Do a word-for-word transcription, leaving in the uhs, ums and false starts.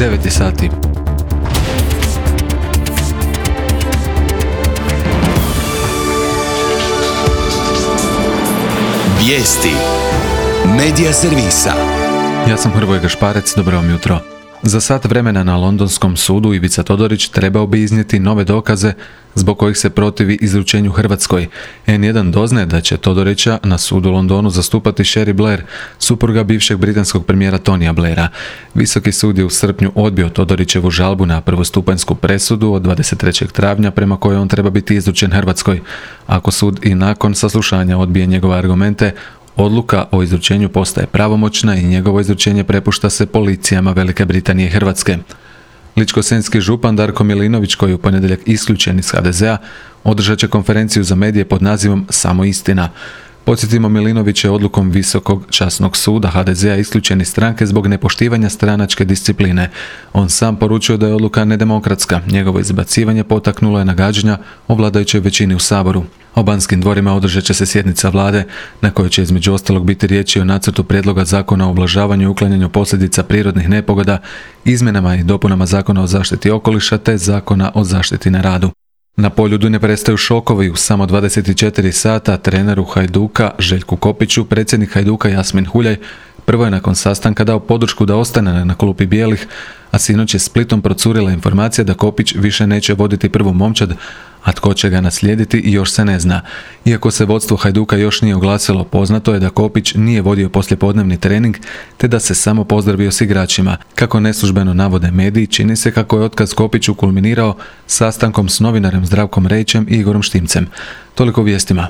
devet sati. Vijesti Medija servisa. Ja sam Hrvoje Gašparec, dobro vam jutro. Za sat vremena na londonskom sudu Ivica Todorić trebao bi iznijeti nove dokaze zbog kojih se protivi izručenju Hrvatskoj. en jedan doznaje da će Todorića na sudu u Londonu zastupati Cherie Blair, supruga bivšeg britanskog premijera Tonija Blaira. Visoki sud je u srpnju odbio Todorićevu žalbu na prvostupanjsku presudu od dvadeset trećeg travnja prema kojoj on treba biti izručen Hrvatskoj. Ako sud i nakon saslušanja odbije njegove argumente, odluka o izručenju postaje pravomoćna i njegovo izručenje prepušta se policijama Velike Britanije i Hrvatske. Ličko-senjski župan Darko Milinović, koji je u ponedjeljak isključen iz ha de zea, održat će konferenciju za medije pod nazivom Samo istina. Podsjetimo, Milinović je odlukom Visokog časnog suda ha de zea isključen iz stranke zbog nepoštivanja stranačke discipline. On sam poručio da je odluka nedemokratska. Njegovo izbacivanje potaknulo je nagađanja o vladajućoj većini u Saboru. O Banskim dvorima održat će se sjednica vlade na kojoj će između ostalog biti riječi o nacrtu prijedloga zakona o ublažavanju i uklanjanju posljedica prirodnih nepogoda, izmjenama i dopunama zakona o zaštiti okoliša te zakona o zaštiti na radu. Na Poljudu ne prestaju šokovi. U samo dvadeset četiri sata treneru Hajduka Željku Kopiću predsjednik Hajduka Jasmin Huljaj prvo je nakon sastanka dao podršku da ostane na klupi bijelih, a sinoć je Splitom procurila informacija da Kopić više neće voditi prvu momčad, a tko će ga naslijediti još se ne zna. Iako se vodstvo Hajduka još nije oglasilo, poznato je da Kopić nije vodio poslijepodnevni trening, te da se samo pozdravio s igračima. Kako neslužbeno navode mediji, čini se kako je otkaz Kopiću kulminirao sastankom s novinarem Zdravkom Rejićem i Igorom Štimcem. Toliko vijestima.